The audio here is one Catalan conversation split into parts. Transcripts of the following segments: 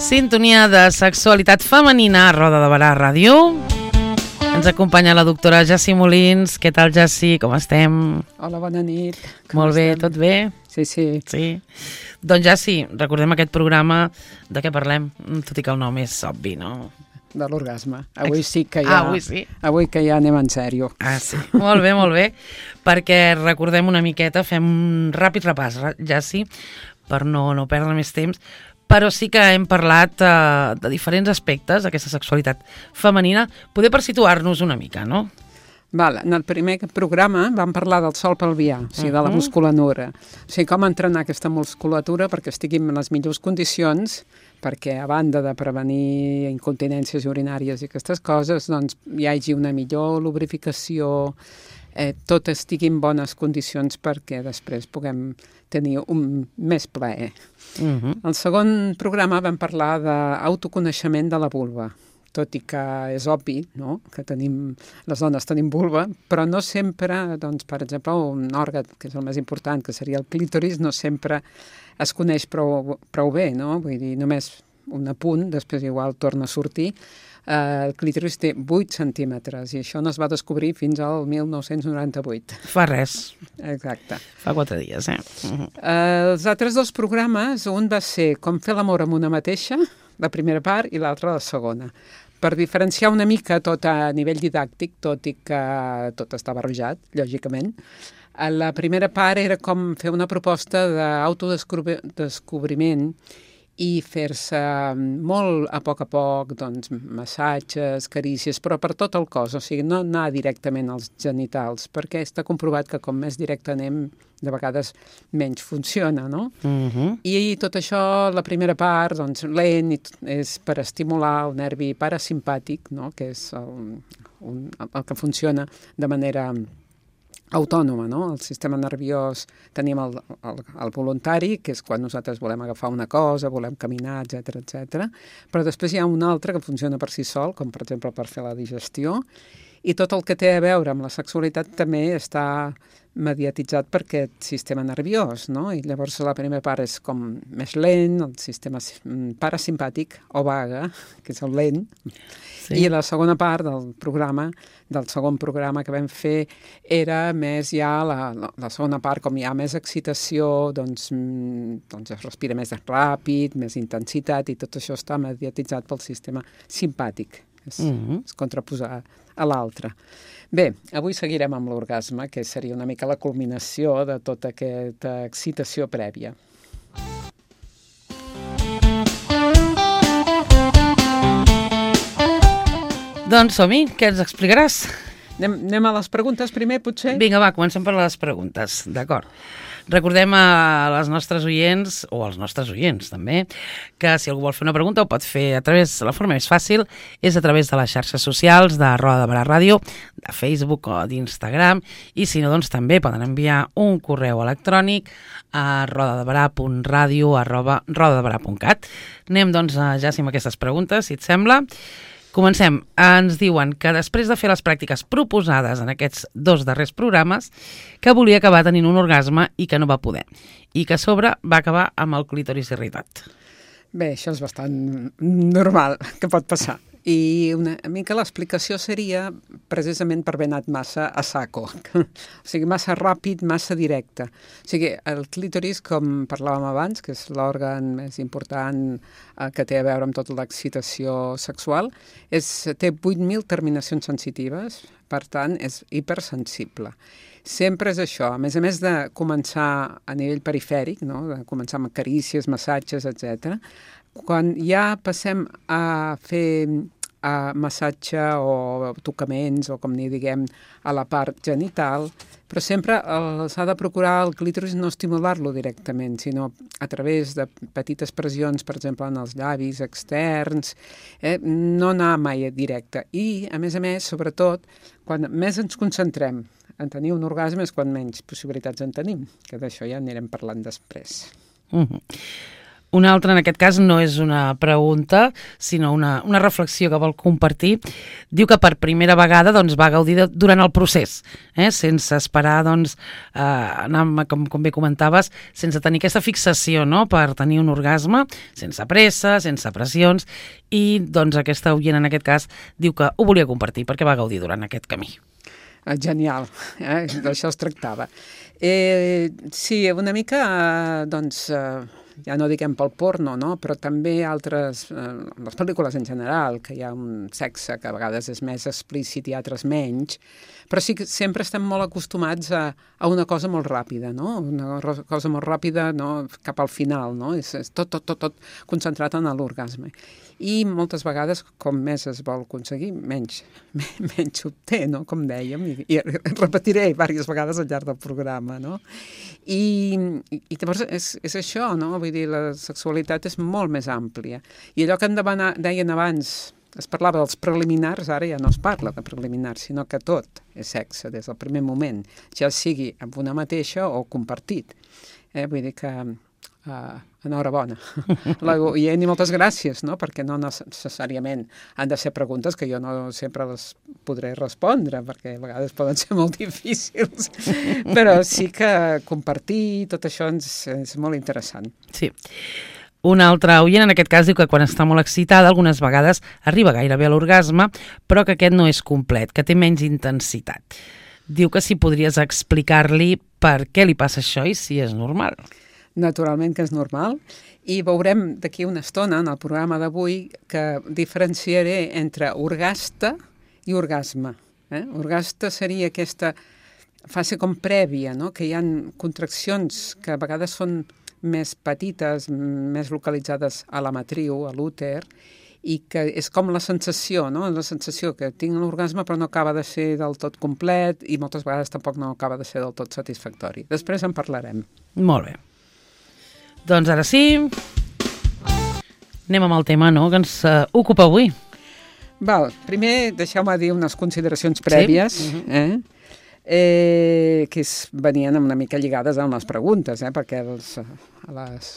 Sintonia de sexualitat femenina a Roda de Barà Ràdio. Ens acompanya la doctora Jessi Molins. Què tal, Jessi? Com estem? Hola, bona nit. Molt bé, tot bé? Sí. Doncs, Jessi, recordem aquest programa de què parlem, tot i que el nom és obvi, no? De l'orgasme. Avui sí que ja... Avui sí. Avui que ja anem en sèrio. Sí. Molt bé. Perquè recordem una miqueta, fem un ràpid repàs, Jessi, per no perdre més temps, però sí que hem parlat de diferents aspectes d'aquesta sexualitat femenina, poder per situar-nos una mica, no? Val, en el primer programa vam parlar del sòl pelvià, o sigui, de la musculatura. O sigui, com entrenar aquesta musculatura perquè estigui en les millors condicions, perquè a banda de prevenir incontinències urinàries i aquestes coses, doncs hi hagi una millor lubrificació, tot estigui en bones condicions perquè després puguem tenir un més plaer. Al segon programa vam parlar d'autoconeixement de la vulva, tot i que és obvi, no?, que les dones tenim vulva, però no sempre, doncs, per exemple, un òrgan, que és el més important, que seria el clítoris, no sempre es coneix prou bé, no? Vull dir, només un apunt, després igual torna a sortir. El clítoris té 8 centímetres i això no es va descobrir fins al 1998. Fa res. Exacte. Fa 4 dies, Els altres dos programes, un va ser com fer l'amor amb una mateixa, la primera part, i l'altra la segona. Per diferenciar una mica tot a nivell didàctic, tot i que tot està barrejat, lògicament, la primera part era com fer una proposta d'autodescobriment i fer-se molt a poc, doncs, massatges, carícies, però per tot el cos, o sigui, no anar directament als genitals, perquè està comprovat que com més directe anem, de vegades menys funciona, no? I tot això, la primera part, doncs, lent, és per estimular el nervi parasimpàtic, no?, que és el que funciona de manera autònoma, no? El sistema nerviós, tenim el voluntari, que és quan nosaltres volem agafar una cosa, volem caminar, etc. Però després hi ha un altre que funciona per si sol, com per exemple per fer la digestió, i tot el que té a veure amb la sexualitat també està mediatitzat per aquest sistema nerviós, no? I llavors la primera part és com més lent, el sistema parasimpàtic o vaga, que és el lent, i la segona part del segon programa que vam fer era més ja la segona part, com hi ha més excitació, doncs es respira més ràpid, més intensitat, i tot això està mediatitzat pel sistema simpàtic, és contraposar a l'altre. Bé, avui seguirem amb l'orgasme, que seria una mica la culminació de tota aquesta excitació prèvia. Doncs som-hi, què ens explicaràs? Anem a les preguntes primer, potser? Vinga, va, comencem per les preguntes, d'acord. Recordem a les nostres oients, o als nostres oients també, que si algú vol fer una pregunta ho pot fer a través, la forma més fàcil és a través de les xarxes socials de Roda de Barà Ràdio, de Facebook o d'Instagram, i si no, doncs també poden enviar un correu electrònic a rodadebarà.radio@rodadebarà.cat. Anem doncs ja amb aquestes preguntes, si et sembla. Comencem. Ens diuen que després de fer les pràctiques proposades en aquests 2 darrers programes, que volia acabar tenint un orgasme i que no va poder. I que a sobre va acabar amb el clítoris irritat. Bé, això és bastant normal, que pot passar. I una mica l'explicació seria precisament per haver anat massa a saco. O sigui, massa ràpid, massa directe. O sigui, el clítoris, com parlàvem abans, que és l'òrgan més important que té a veure amb tota l'excitació sexual, té 8.000 terminacions sensitives, per tant, és hipersensible. Sempre és això, a més de començar a nivell perifèric, no?, de començar amb carícies, massatges, etc. Quan ja passem a fer massatge o tocaments, o com n'hi diguem, a la part genital, però sempre s'ha de procurar el clítoris no estimular-lo directament, sinó a través de petites pressions, per exemple, en els llavis externs, no anar mai directe. I, a més, sobretot, quan més ens concentrem en tenir un orgasme és quan menys possibilitats en tenim, que d'això ja anirem parlant després. Una altra, en aquest cas, no és una pregunta, sinó una reflexió que vol compartir. Diu que per primera vegada doncs, va gaudir durant el procés, sense esperar, doncs, anar, com bé comentaves, sense tenir aquesta fixació, no?, per tenir un orgasme, sense pressa, sense pressions, i doncs, aquesta oient, en aquest cas, diu que ho volia compartir perquè va gaudir durant aquest camí. Genial, d'això es tractava. Sí, una mica, doncs... ja no diguem pel porno, no? Però també altres, les pel·lícules en general, que hi ha un sexe que a vegades és més explícit i altres menys, però sí que sempre estem molt acostumats a una cosa molt ràpida, no? Una cosa molt ràpida, no? Cap al final, no? És tot concentrat en l'orgasme. I moltes vegades, com més es vol aconseguir, menys s'obté, no? Com dèiem, i repetiré diverses vegades al llarg del programa, no? I llavors és això, no? Vull dir, la sexualitat és molt més àmplia. I allò que deien abans, es parlava dels preliminars, ara ja no es parla de preliminars, sinó que tot és sexe des del primer moment, ja sigui amb una mateixa o compartit. Vull dir que enhorabona. I moltes gràcies, no? Perquè no necessàriament han de ser preguntes que jo no sempre les podré respondre, perquè a vegades poden ser molt difícils, però sí que compartir tot això és molt interessant. Sí. Una altra oient, en aquest cas, diu que quan està molt excitada, algunes vegades arriba gairebé a l'orgasme, però que aquest no és complet, que té menys intensitat. Diu que si podries explicar-li per què li passa això i si és normal. Naturalment que és normal, i veurem d'aquí una estona en el programa d'avui que diferenciaré entre orgaste i orgasme. Orgaste seria aquesta fase com prèvia, no? Que hi ha contraccions que a vegades són més petites, més localitzades a la matriu, a l'úter, i que és com la sensació, no? La sensació que tinc l'orgasme però no acaba de ser del tot complet i moltes vegades tampoc no acaba de ser del tot satisfactori. Després en parlarem. Molt bé. Doncs ara sí, anem amb el tema, no?, que ens ocupa avui. Val, primer deixeu-me dir unes consideracions prèvies, sí? Que venien una mica lligades amb les preguntes, perquè les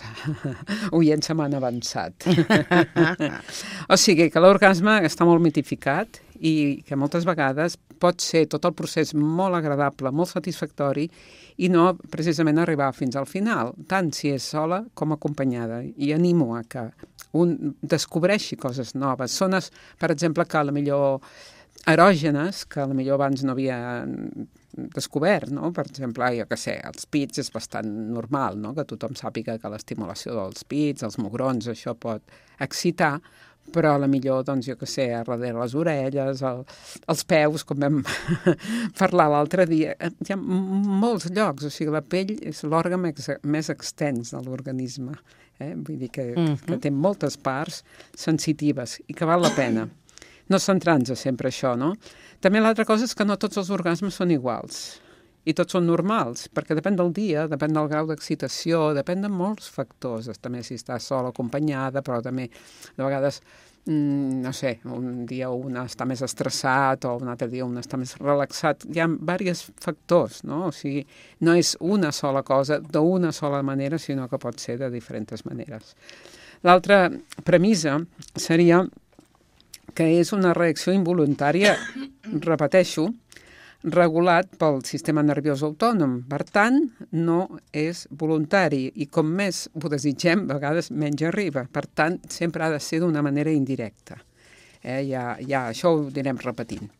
oients se m'han avançat. O sigui, que l'orgasme està molt mitificat i que moltes vegades pot ser tot el procés molt agradable, molt satisfactori, i no precisament arribar fins al final, tant si és sola com acompanyada. I animo a que un descobreixi coses noves. Zones, per exemple, que potser erògenes, que potser abans no havia descobert, no? Per exemple, jo què sé, els pits és bastant normal, no? Que tothom sàpiga que l'estimulació dels pits, els mugrons, això pot excitar, però potser, doncs, jo què sé, a darrere les orelles, els peus, com vam parlar l'altre dia, hi ha molts llocs, o sigui, la pell és l'òrgan més extens de l'organisme, vull dir que té moltes parts sensitives i que val la pena. No centrar-nos sempre això, no? També l'altra cosa és que no tots els orgasmes són iguals i tots són normals, perquè depèn del dia, depèn del grau d'excitació, depèn de molts factors, també si està sola, acompanyada, però també de vegades, no sé, un dia un està més estressat o un altre dia un està més relaxat. Hi ha diversos factors, no? O sigui, no és una sola cosa d'una sola manera, sinó que pot ser de diferents maneres. L'altra premissa seria que és una reacció involuntària, repeteixo, regulat pel sistema nerviós autònom. Per tant, no és voluntari i com més ho desitgem, a vegades menys arriba. Per tant, sempre ha de ser d'una manera indirecta. Ja això ho anirem repetint.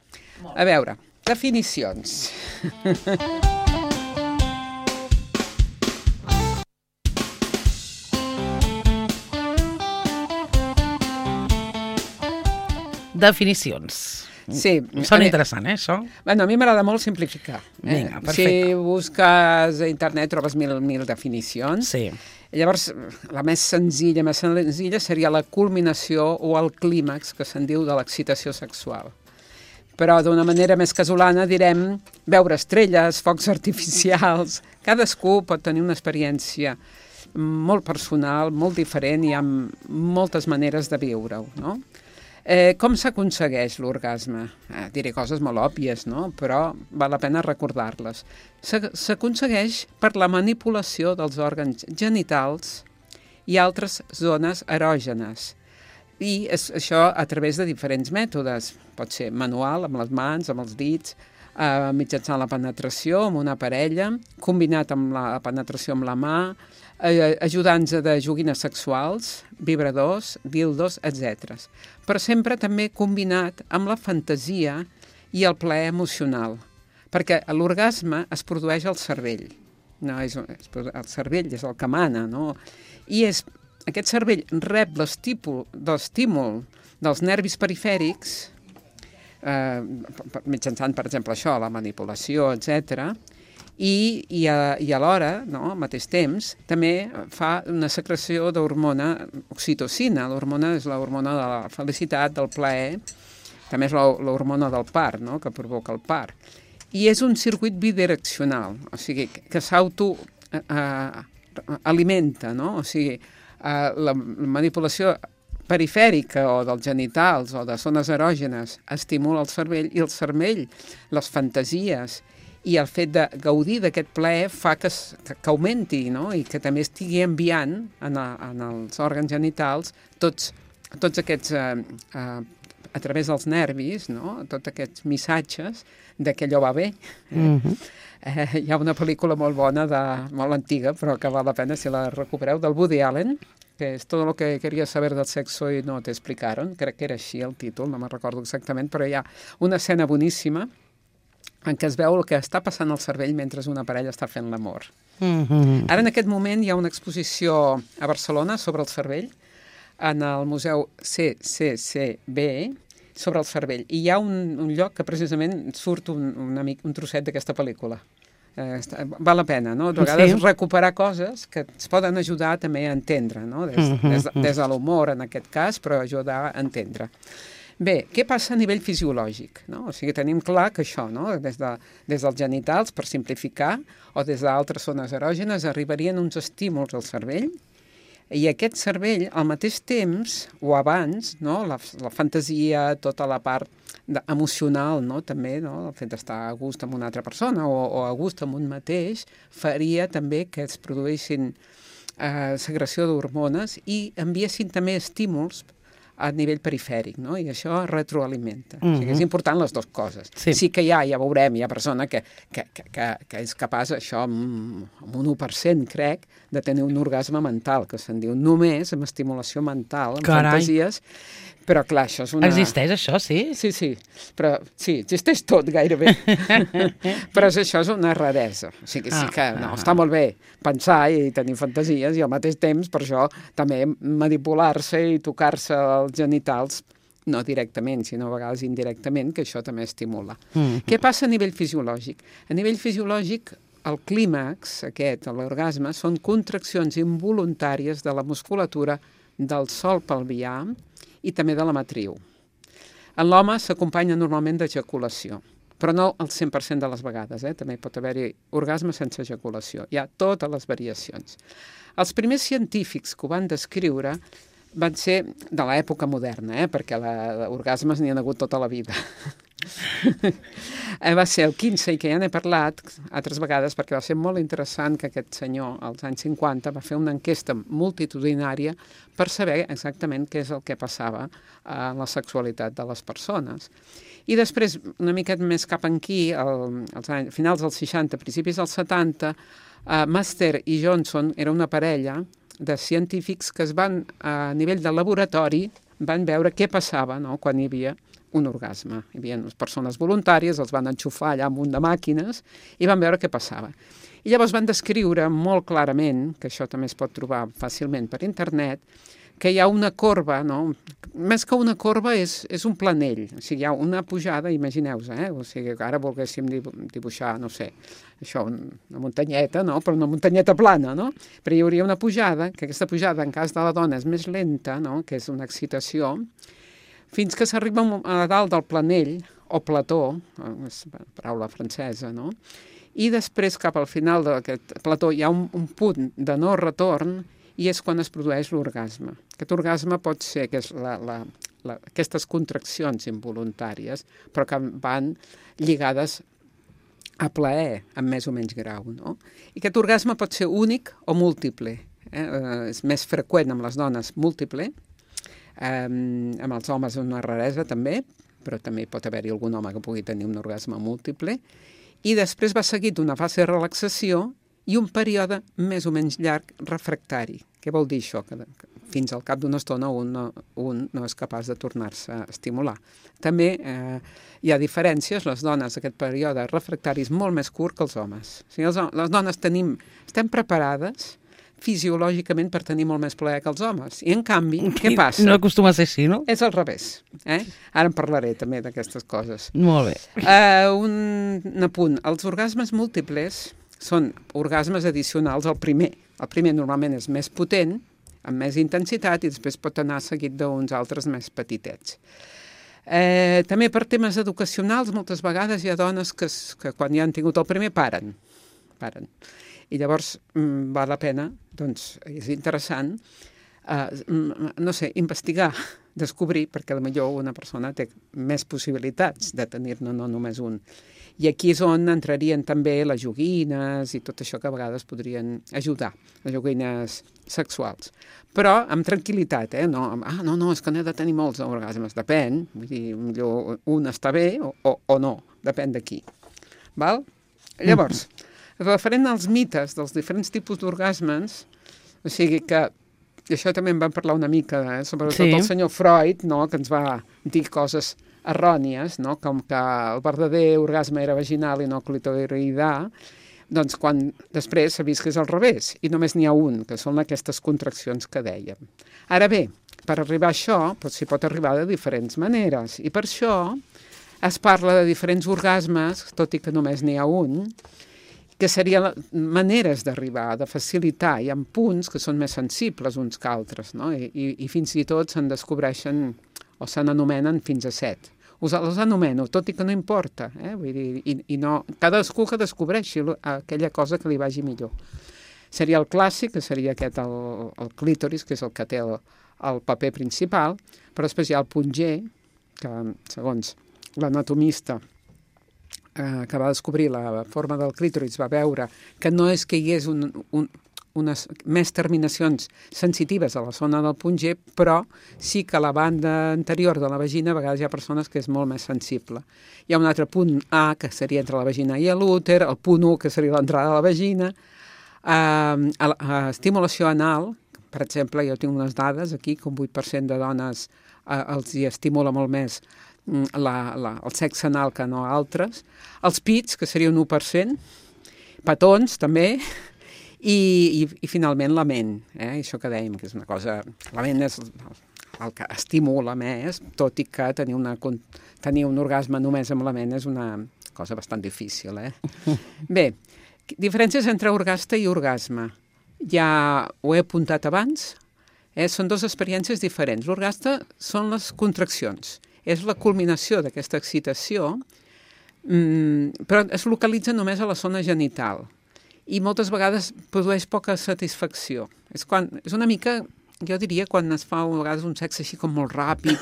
A veure, definicions. Definicions. Sí. Sona interessant, això? Bueno, a mi m'agrada molt simplificar. Vinga, perfecte. Si busques a internet trobes mil definicions. Sí. Llavors, la més senzilla seria la culminació o el clímax, que se'n diu, de l'excitació sexual. Però d'una manera més casolana direm veure estrelles, focs artificials. Cadascú pot tenir una experiència molt personal, molt diferent, i hi ha moltes maneres de viure-ho, no? Com s'aconsegueix l'orgasme? Diré coses molt òbvies, no? Però val la pena recordar-les. S'aconsegueix per la manipulació dels òrgans genitals i altres zones erògenes. I això a través de diferents mètodes. Pot ser manual, amb les mans, amb els dits, mitjançant la penetració amb una parella, combinat amb la penetració amb la mà, ajudants de joguines sexuals, vibradors, dildos, etc. Però sempre també combinat amb la fantasia i el plaer emocional, perquè l'orgasme es produeix al cervell. No, el cervell és el que mana, no? I aquest cervell rep l'estímul dels nervis perifèrics, mitjançant, per exemple, això, la manipulació, etc. I alhora, no, al mateix temps, també fa una secreció d'hormona oxitocina. L'hormona és l'hormona de la felicitat, del plaer, també és l'hormona del part, no?, que provoca el part. I és un circuit bidireccional, o sigui, que s'autoalimenta, no? O sigui, la manipulació perifèrica o dels genitals o de zones erògenes estimula el cervell, i el cervell, les fantasies i el fet de gaudir d'aquest plaer fa que augmenti, no? I que també estigui enviant en els òrgans genitals tots aquests, a través dels nervis, no? Tots aquests missatges de que allò va bé. Hi ha una pel·lícula molt bona, molt antiga, però que val la pena si la recupereu, del Woody Allen, que és Todo lo que quería saber del sexo y no te explicaron. Crec que era així el títol, no me'n recordo exactament, però hi ha una escena boníssima en què es veu el que està passant al cervell mentre una parella està fent l'amor. Ara, en aquest moment, hi ha una exposició a Barcelona sobre el cervell, en el Museu CCCB, sobre el cervell. I hi ha un lloc que precisament surt un trosset d'aquesta pel·lícula. Val la pena, no? De vegades recuperar coses que ens poden ajudar també a entendre, no? Des de l'humor, en aquest cas, però ajudar a entendre. Bé, què passa a nivell fisiològic, no? O sigui, tenim clar que això, no? Des dels genitals, per simplificar, o des d'altres zones erògenes, arribarien uns estímuls al cervell, i aquest cervell, al mateix temps, o abans, no? La fantasia, tota la part emocional, no? També, no? El fet d'estar a gust amb una altra persona o a gust amb un mateix, faria també que es produïssin secreció d'hormones i enviessin també estímuls a nivell perifèric, no? I això retroalimenta. O sigui, és important les dues coses. Sí que ja veurem, hi ha persona que és capaç, això, amb un 1%, crec, de tenir un orgasme mental, que se'n diu només amb estimulació mental, amb fantasies. Però, clar, això és una... Existeix això, sí? Sí. Però, sí, existeix tot, gairebé. Però això és una raresa. O sigui, sí que està molt bé pensar i tenir fantasies i al mateix temps, per això, també manipular-se i tocar-se els genitals, no directament, sinó a vegades indirectament, que això també estimula. Què passa a nivell fisiològic? A nivell fisiològic, el clímax, aquest, l'orgasme, són contraccions involuntàries de la musculatura del sòl pelvià i també de la matriu. En l'home s'acompanya normalment d'ejaculació, però no el 100% de les vegades, també pot haver-hi orgasme sense ejaculació. Hi ha totes les variacions. Els primers científics que ho van descriure van ser de l'època moderna, perquè orgasmes n'hi ha hagut tota la vida. Va ser el Kinsey, que ja n'he parlat altres vegades, perquè va ser molt interessant que aquest senyor, als anys 50, va fer una enquesta multitudinària per saber exactament què és el que passava a la sexualitat de les persones. I després, una miqueta més cap aquí, als finals dels 60, principis dels 70, Master i Johnson era una parella de científics que es van, a nivell de laboratori, van veure què passava, no?, quan hi havia un orgasme. Hi havia persones voluntàries, els van enxufar allà amb un de màquines i van veure què passava. I llavors van descriure molt clarament, que això també es pot trobar fàcilment per internet, que hi ha una corba, no? Més que una corba és un planell, o sigui, hi ha una pujada, imagineu-vos, o sigui, ara volguéssim dibuixar, no sé, això, una muntanyeta, no? Però una muntanyeta plana, no? Però hi hauria una pujada, que aquesta pujada, en cas de la dona, és més lenta, no? Que és una excitació, fins que s'arriba a dalt del planell, o plató, és una paraula francesa, no? I després, cap al final d'aquest plató, hi ha un punt de no retorn, i és quan es produeix l'orgasme. Aquest orgasme pot ser que és aquestes contraccions involuntàries, però que van lligades a plaer, en més o menys grau, no? I aquest orgasme pot ser únic o múltiple. és més freqüent amb les dones múltiple, amb els homes una raresa també, però també pot haver-hi algun home que pugui tenir un orgasme múltiple, i després va seguit una fase de relaxació i un període més o menys llarg refractari. Què vol dir això? Que fins al cap d'una estona un no és capaç de tornar-se a estimular. També hi ha diferències. Les dones, aquest període refractari és molt més curt que els homes. O sigui, les dones estem preparades fisiològicament per tenir molt més plaer que els homes. I, en canvi, què passa? No acostuma a ser així, no? És al revés. Ara en parlaré també d'aquestes coses. Molt bé. Un apunt. Els orgasmes múltiples són orgasmes addicionals al primer. El primer normalment és més potent, amb més intensitat, i després pot anar seguit d'uns altres més petitets. També per temes educacionals, moltes vegades hi ha dones que quan ja han tingut el primer paren. I llavors val la pena, doncs és interessant, no sé, investigar, descobrir, perquè potser una persona té més possibilitats de tenir-ne no només un. I aquí és on entrarien també les joguines i tot això que a vegades podrien ajudar, les joguines sexuals. Però amb tranquil·litat, no, és que n'he de tenir molts orgasmes, depèn, vull dir, millor un està bé o no, depèn de qui. Val? Llavors, referent als mites dels diferents tipus d'orgasmes, o sigui que, i això també en vam parlar una mica, sobretot el senyor Freud, no, que ens va dir coses errònies, no? Com que el verdader orgasme era vaginal i no clitoridà, doncs després s'ha vist que és al revés, i només n'hi ha un, que són aquestes contraccions que dèiem. Ara bé, per arribar a això, s'hi pot arribar de diferents maneres, i per això es parla de diferents orgasmes, tot i que només n'hi ha un, que serien maneres d'arribar, de facilitar. Hi ha punts que són més sensibles uns que altres, no? I fins i tot se'n descobreixen o se n'anomenen fins a 7. Els anomeno, tot i que no importa, vull dir, i no, cadascú que descobreixi aquella cosa que li vagi millor. Seria el clàssic, que seria aquest, el clítoris, que és el que té el paper principal, però després hi ha el punt G, que segons l'anatomista que va descobrir la forma del clítoris va veure que no és que hi hagués unes més terminacions sensitives a la zona del punt G, però sí que a la banda anterior de la vagina a vegades hi ha persones que és molt més sensible. Hi ha un altre punt A, que seria entre la vagina i l'úter, el punt 1, que seria l'entrada de la vagina, estimulació anal, per exemple, jo tinc unes dades aquí, que un 8% de dones els hi estimula molt més el sexe anal que no altres, els pits, que seria un 1%, petons també, i finalment la ment, això que dèiem, que és una cosa... La ment és el que estimula més, tot i que tenir un orgasme només amb la ment és una cosa bastant difícil. Bé, diferències entre orgasme i orgasme. Ja ho he apuntat abans, són dues experiències diferents. L'orgasme són les contraccions, és la culminació d'aquesta excitació, però es localitza només a la zona genital. I moltes vegades produeix poca satisfacció. És una mica, jo diria, quan es fa a vegades un sexe així com molt ràpid,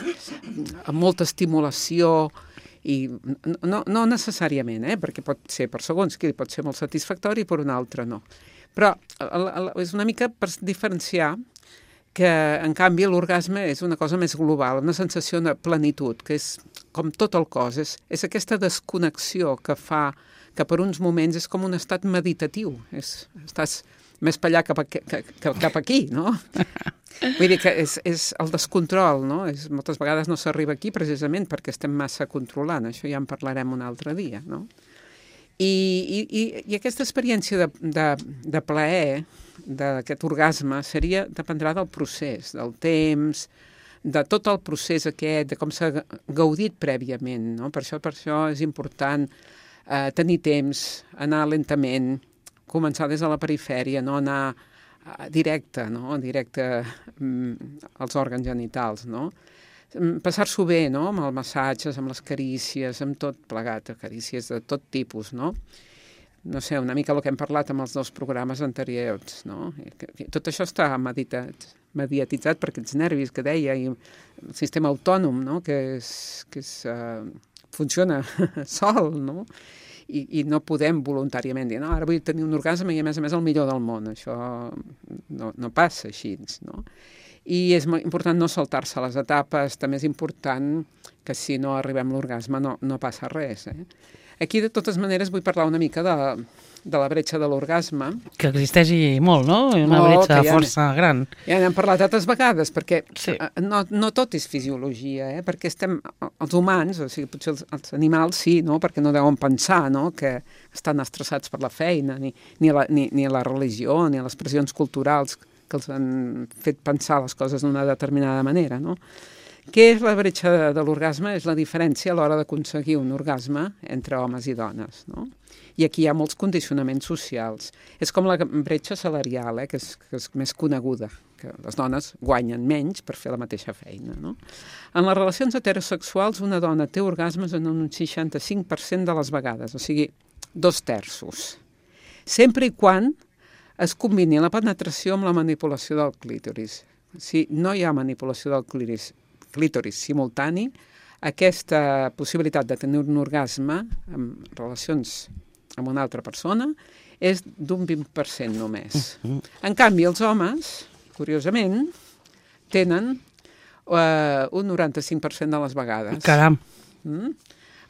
amb molta estimulació, i no necessàriament, perquè pot ser per segons qui pot ser molt satisfactori i per un altre no. Però és una mica per diferenciar que, en canvi, l'orgasme és una cosa més global, una sensació de plenitud, que és com tot el cos, és aquesta desconnexió que fa que per uns moments és com un estat meditatiu. Estàs més per allà cap aquí, no? Vull dir que és el descontrol, no? Moltes vegades no s'arriba aquí precisament perquè estem massa controlant. Això ja en parlarem un altre dia, no? I aquesta experiència de plaer, d'aquest orgasme, dependrà del procés, del temps, de tot el procés aquest, de com s'ha gaudit prèviament, no? Per això és important tenir temps, anar lentament, començar des de la perifèria, no anar directe als òrgans genitals, no? Passar-s'ho bé, no? Amb els massatges, amb les carícies, amb tot plegat, carícies de tot tipus, no? No sé, una mica el que hem parlat amb els dos programes anteriors, no? Tot això està mediatitzat per aquests nervis que deia, i el sistema autònom, no? Que funciona sol, no? I no podem voluntàriament dir, no, ara vull tenir un orgasme i a més el millor del món. Això no passa així, no? I és important no saltar-se les etapes, també és important que si no arribem a l'orgasme no passa res. Aquí, de totes maneres, vull parlar una mica de la bretxa de l'orgasme. Que existeix molt, no? Una bretxa força gran. Ja n'hem parlat altres vegades, perquè no tot és fisiologia, perquè els humans, o sigui, potser els animals sí, no? Perquè no deuen pensar, no? Que estan estressats per la feina, ni la religió, ni les pressions culturals que els han fet pensar les coses d'una determinada manera, no? Què és la bretxa de l'orgasme? És la diferència a l'hora d'aconseguir un orgasme entre homes i dones, no? I aquí hi ha molts condicionaments socials. És com la bretxa salarial, que és més coneguda, que les dones guanyen menys per fer la mateixa feina, no? En les relacions heterosexuals, una dona té orgasmes en un 65% de les vegades, o sigui, 2/3. Sempre i quan es combini la penetració amb la manipulació del clítoris. Si no hi ha manipulació del clítoris simultani, aquesta possibilitat de tenir un orgasme en relacions amb una altra persona és d'un 20% només. En canvi, els homes, curiosament, tenen un 95% de les vegades. Caram!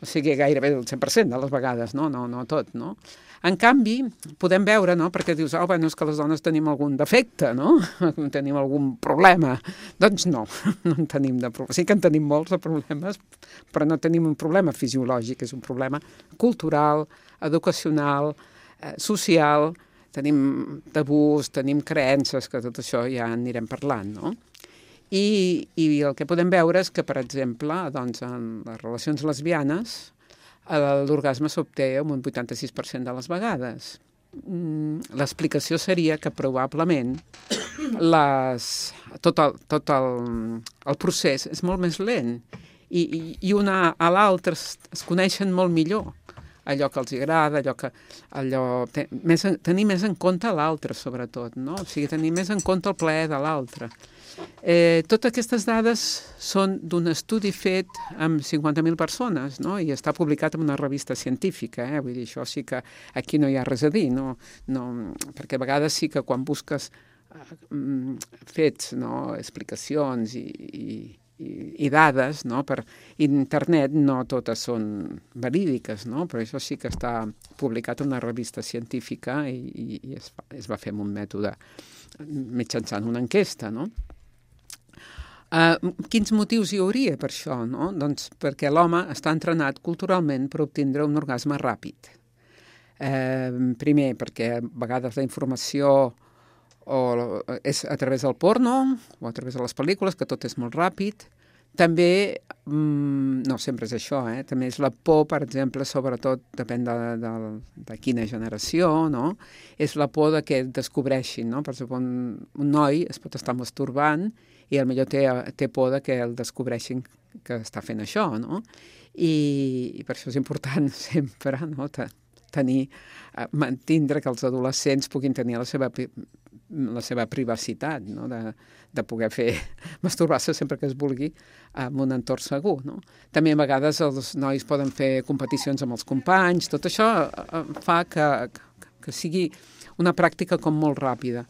O sigui, gairebé el 100% de les vegades, no tot, no? En canvi, podem veure, no?, perquè dius, és que les dones tenim algun defecte, no? Tenim algun problema. Doncs no en tenim de problemes. Sí que en tenim molts de problemes, però no tenim un problema fisiològic, és un problema cultural, educacional, social, tenim tabús, tenim creences, que tot això ja anirem parlant, no? I el que podem veure és que, per exemple, doncs, en les relacions lesbianes, l'orgasme s'obté amb un 86% de les vegades. L'explicació seria que probablement tot el procés és molt més lent i una a l'altra es coneixen molt millor allò que els agrada, tenir més en compte l'altre, sobretot, no? O sigui, tenir més en compte el plaer de l'altre. Totes aquestes dades són d'un estudi fet amb 50.000 persones, no? I està publicat en una revista científica, vull dir, això sí que aquí no hi ha res a dir, no? Perquè a vegades sí que quan busques fets, no? Explicacions i dades, no? Per internet no totes són verídiques, no? Però això sí que està publicat en una revista científica i es va fer amb un mètode mitjançant una enquesta, no? Quins motius hi hauria per això, no? Doncs perquè l'home està entrenat culturalment per obtindre un orgasme ràpid. Primer, perquè a vegades la informació és a través del porno o a través de les pel·lícules, que tot és molt ràpid. També, no sempre és això, també és la por, per exemple, sobretot depèn de quina generació, no? És la por de que descobreixin, no? Per exemple, un noi es pot estar masturbant i potser té por de que el descobreixin que està fent això, no? I per això és important sempre, no? Mantindre que els adolescents puguin tenir la seva privacitat, no? De poder masturbar-se sempre que es vulgui en un entorn segur, no? També a vegades els nois poden fer competicions amb els companys, tot això fa que sigui una pràctica com molt ràpida.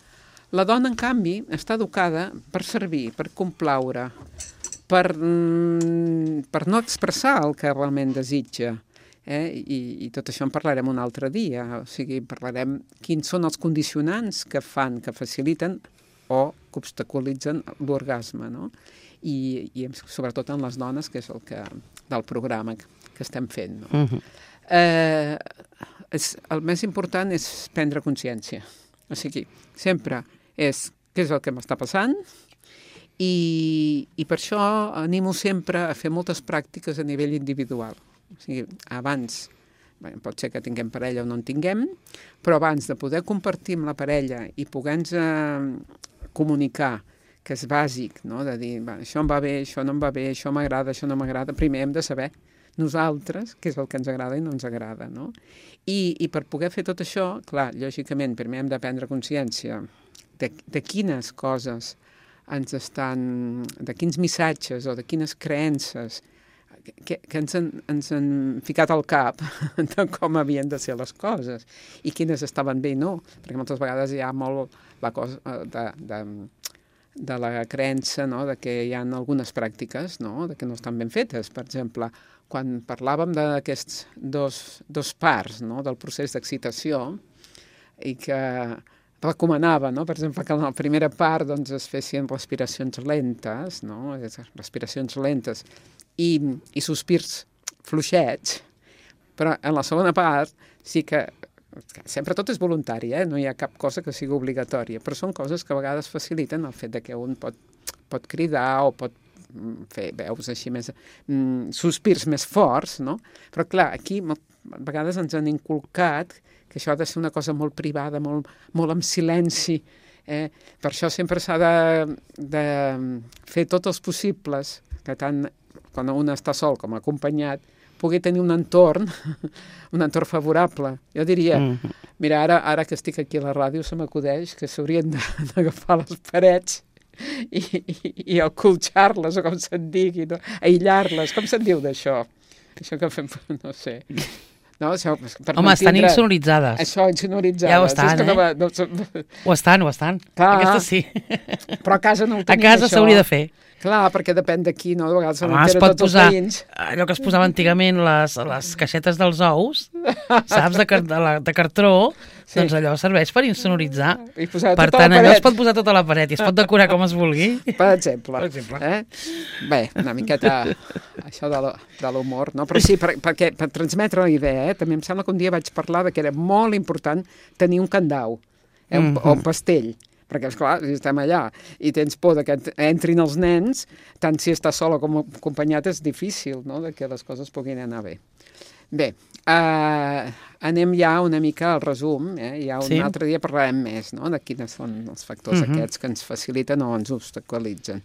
La dona, en canvi, està educada per servir, per complaure, per no expressar el que realment desitja. I tot això en parlarem un altre dia. O sigui, parlarem quins són els condicionants que faciliten o que obstaculitzen l'orgasme, no? I sobretot en les dones, que és del programa que estem fent, no? El més important és prendre consciència. O sigui, sempre és què és el que m'està passant i per això animo sempre a fer moltes pràctiques a nivell individual. O sigui, abans, pot ser que tinguem parella o no en tinguem, però abans de poder compartir amb la parella i poder-nos comunicar, que és bàsic, no? De dir, això em va bé, això no em va bé, això m'agrada, això no m'agrada, primer hem de saber nosaltres què és el que ens agrada i no ens agrada, no? I per poder fer tot això, clar, lògicament, primer hem de prendre consciència de quines coses de quins missatges o de quines creences que ens han ficat al cap de com havien de ser les coses i quines estaven bé i no, perquè moltes vegades hi ha molt la cosa de la creença, no?, de que hi ha algunes pràctiques, no?, de que no estan ben fetes. Per exemple, quan parlàvem d'aquests dos parts, no?, del procés d'excitació, i que recomanava, no?, per exemple, que en la primera part doncs, es fessin respiracions lentes, no?, respiracions lentes i sospirs fluixets, però en la segona part sí que sempre tot és voluntari, no hi ha cap cosa que sigui obligatòria, però són coses que a vegades faciliten el fet de que un pot cridar o pot fer veus així més, sospirs més forts, no? Però clar, aquí a vegades ens han inculcat que això ha de ser una cosa molt privada, molt en silenci. Per això sempre s'ha de fer tots els possibles, que tant quan un està sol com acompanyat, pugui tenir un entorn favorable. Jo diria, mira, ara que estic aquí a la ràdio se m'acudeix que s'haurien d'agafar les parets i acolxar-les, o com se'n digui, no? Aïllar-les. Com se'n diu d'això? Això que fem, no sé. No, això, home, estan insonoritzades. Això, insonoritzades. Ja ho estan, Ho estan. Clar, aquestes sí. Però a casa no ho tenim, a casa s'hauria de fer. Clar, perquè depèn d'aquí, no? De vegades es pot posar allò que es posava antigament, les caixetes dels ous, saps, de cartró, sí. Doncs allò serveix per insonoritzar. Per tant, allò es pot posar tota la paret i es pot decorar com es vulgui. Per exemple. Bé, una miqueta això de l'humor, no? Però sí, perquè per transmetre la idea, també em sembla que un dia vaig parlar que era molt important tenir un candau, o un pastell. Perquè, esclar, si estem allà i tens por que entrin els nens, tant si està sol com acompanyat és difícil, no?, que les coses puguin anar bé. Bé, anem ja una mica al resum, ja un altre dia parlarem més, no?, de quins són els factors aquests que ens faciliten o ens obstaculitzen.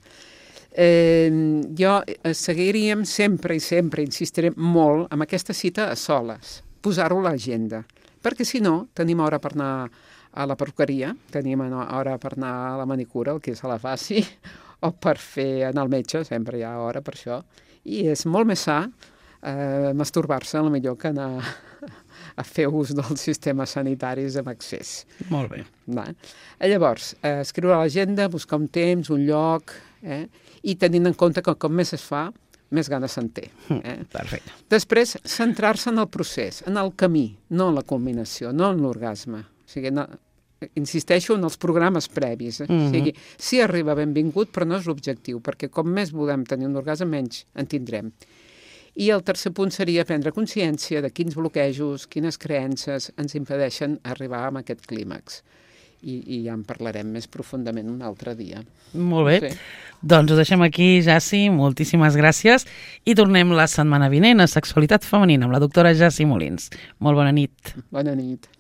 Jo seguiríem sempre insistiré molt en aquesta cita a soles, posar-ho a l'agenda, perquè si no tenim hora per anar a la perruqueria, tenim hora per anar a la manicura, el que se la faci, o per anar al metge, sempre hi ha hora per això, i és molt més sa masturbar-se, millor que anar a fer ús dels sistemes sanitaris amb accés. Molt bé. Llavors, escriure a l'agenda, buscar un temps, un lloc, i tenint en compte que com més es fa, més ganes se'n té. Perfecte. Després, centrar-se en el procés, en el camí, no en la culminació, no en l'orgasme. O sigui, insisteixo en els programes previs. O sigui, sí arriba benvingut, però no és l'objectiu, perquè com més volem tenir un orgasme, menys en tindrem. I el tercer punt seria prendre consciència de quins bloquejos, quines creences ens impedeixen arribar a aquest clímax. I ja en parlarem més profundament un altre dia. Molt bé. Sí. Doncs ho deixem aquí, Jaci. Moltíssimes gràcies. I tornem la setmana vinent a Sexualitat Femenina amb la doctora Jaci Molins. Molt bona nit. Bona nit.